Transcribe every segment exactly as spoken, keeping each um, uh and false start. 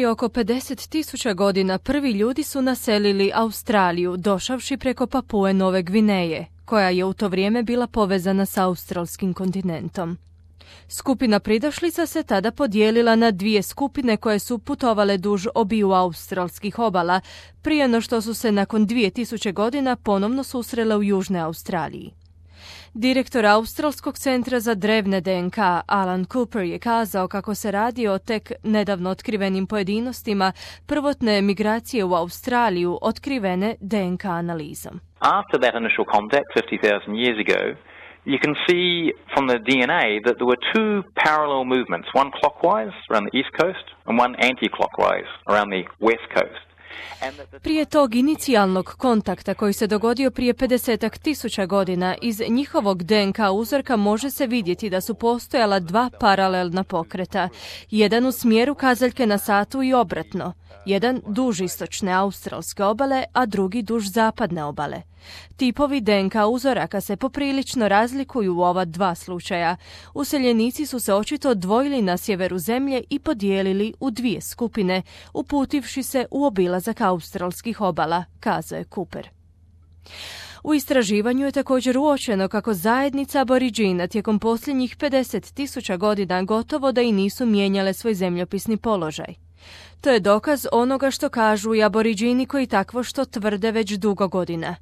Prije oko pedeset tisuća godina prvi ljudi su naselili Australiju, došavši preko Papue Nove Gvineje, koja je u to vrijeme bila povezana s australskim kontinentom. Skupina pridošlica se tada podijelila na dvije skupine koje su putovale duž obiju australskih obala, prije no što su se nakon dvije tisuće godina ponovno susrele u Južnoj Australiji. Direktor Australskog centra za drevne D N K Alan Cooper je kazao kako se radi o tek nedavno otkrivenim pojedinostima prvotne migracije u Australiju otkrivene D N K analizom. After that initial contact fifty thousand years ago, you can see from the D N A that there were two parallel movements, one clockwise around the east coast and one anti-clockwise around the west coast. Prije tog inicijalnog kontakta koji se dogodio prije pedesetak tisuća godina, iz njihovog D N K uzorka može se vidjeti da su postojala dva paralelna pokreta, jedan u smjeru kazaljke na satu i obratno, jedan duž istočne australske obale, a drugi duž zapadne obale. Tipovi D N K uzoraka se poprilično razlikuju u ova dva slučaja. Useljenici su se očito odvojili na sjeveru zemlje i podijelili u dvije skupine, uputivši se u obilazak australskih obala, kazao je Cooper. U istraživanju je također uočeno kako zajednica aboriđina tijekom posljednjih pedeset tisuća godina gotovo da i nisu mijenjale svoj zemljopisni položaj. To je dokaz onoga što kažu i aboriđini koji takvo što tvrde već dugo godina.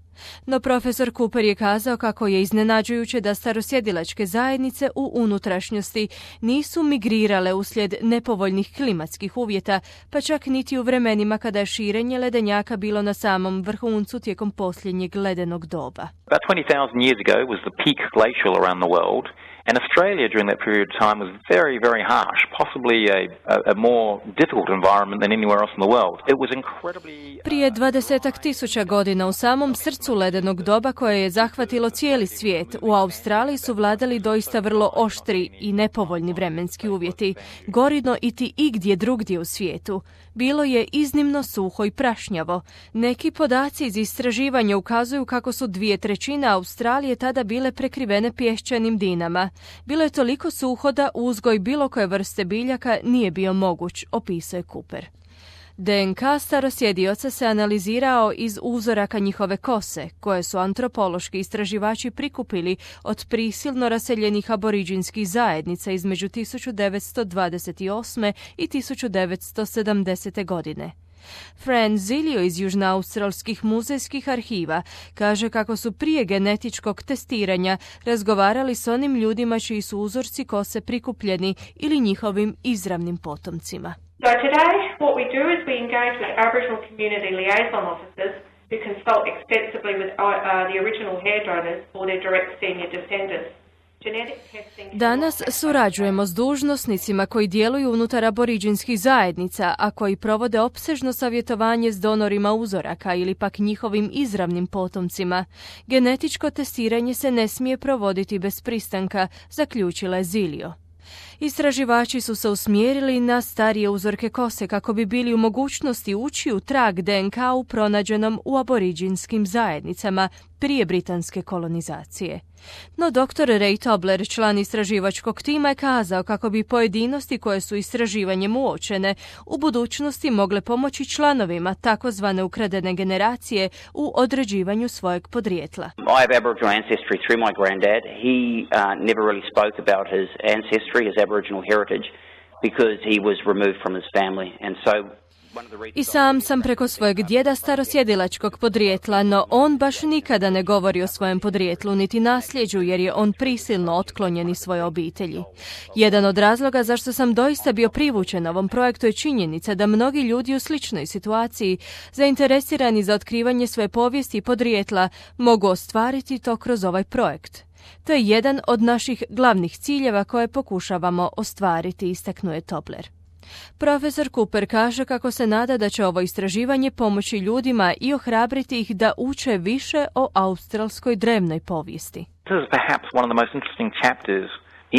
No profesor Cooper je kazao kako je iznenađujuće da starosjedilačke zajednice u unutrašnjosti nisu migrirale uslijed nepovoljnih klimatskih uvjeta, pa čak niti u vremenima kada je širenje ledenjaka bilo na samom vrhuncu tijekom posljednjeg ledenog doba. About twenty thousand years ago was the peak glacial around the world. And Australia during that period of time was very, very harsh, possibly a, a, a more difficult environment than anywhere else in the world. It was incredibly... Prije dvadesetak tisuća godina u samom srcu ledenog doba koje je zahvatilo cijeli svijet, u Australiji su vladali doista vrlo oštri i nepovoljni vremenski uvjeti, gorino iti igdje drugdje u svijetu. Bilo je iznimno suho i prašnjavo. Neki podaci iz istraživanja ukazuju kako su dvije trećine Australije tada bile prekrivene pješčanim dinama. Bilo je toliko suho da uzgoj bilo koje vrste biljaka nije bio moguć, opisuje Cooper. D N K starosjedioca se analizirao iz uzoraka njihove kose, koje su antropološki istraživači prikupili od prisilno raseljenih aboriđinskih zajednica između tisuću devetsto dvadeset osme i tisuću devetsto sedamdesete godine. Fran Zilio iz južnoaustralskih muzejskih arhiva kaže kako su prije genetičkog testiranja razgovarali s onim ljudima čiji su uzorci kose prikupljeni ili njihovim izravnim potomcima. So today what we do is we engage with Aboriginal community liaison officers who consult extensively with uh, the original hair donors or their direct senior descendants. Danas surađujemo s dužnosnicima koji djeluju unutar aboriđinskih zajednica, a koji provode opsežno savjetovanje s donorima uzoraka ili pak njihovim izravnim potomcima. Genetičko testiranje se ne smije provoditi bez pristanka, zaključila je Zilio. Istraživači su se usmjerili na starije uzorke kose kako bi bili u mogućnosti ući u trag D N K-u pronađenom u aboriđinskim zajednicama prije britanske kolonizacije. No doktor Ray Tobler, član istraživačkog tima, je kazao kako bi pojedinosti koje su istraživanjem uočene u budućnosti mogle pomoći članovima takozvane ukradene generacije u određivanju svojeg podrijetla. I have Aboriginal ancestry through my granddad. He uh, never really spoke about his ancestry, his Aboriginal heritage, because he was removed from his family, and so I sam sam preko svojeg djeda starosjedilačkog podrijetla, no on baš nikada ne govori o svojem podrijetlu niti nasljeđu jer je on prisilno otklonjen iz svoje obitelji. Jedan od razloga zašto sam doista bio privučen ovom projektu je činjenica da mnogi ljudi u sličnoj situaciji, zainteresirani za otkrivanje svoje povijesti i podrijetla, mogu ostvariti to kroz ovaj projekt. To je jedan od naših glavnih ciljeva koje pokušavamo ostvariti, istaknuo je Tobler. Profesor Cooper kaže kako se nada da će ovo istraživanje pomoći ljudima i ohrabriti ih da uče više o australskoj drevnoj povijesti. This is perhaps one of the most interesting chapters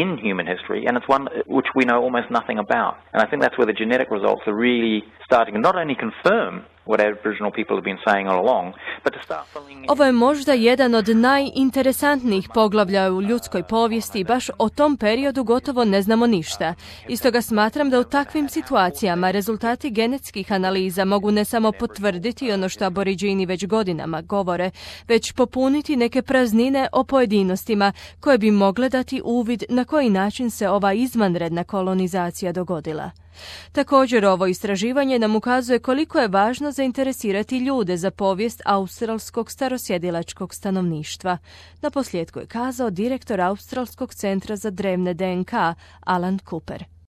in human history, and it's one which we know almost nothing about. And I think that's where the genetic results are really starting to not only confirm what Aboriginal people have been saying all along, but to start filling... Ovo je možda jedan od najinteresantnijih poglavlja u ljudskoj povijesti i baš o tom periodu gotovo ne znamo ništa. I stoga smatram da u takvim situacijama rezultati genetskih analiza mogu ne samo potvrditi ono što Aboriđini već godinama govore, već popuniti neke praznine o pojedinostima koje bi mogle dati uvid na koji način se ova izvanredna kolonizacija dogodila. Također, ovo istraživanje nam ukazuje koliko je važno zainteresirati ljude za povijest australskog starosjedilačkog stanovništva. Naposljetku je kazao direktor Australskog centra za drevne D N K, Alan Cooper.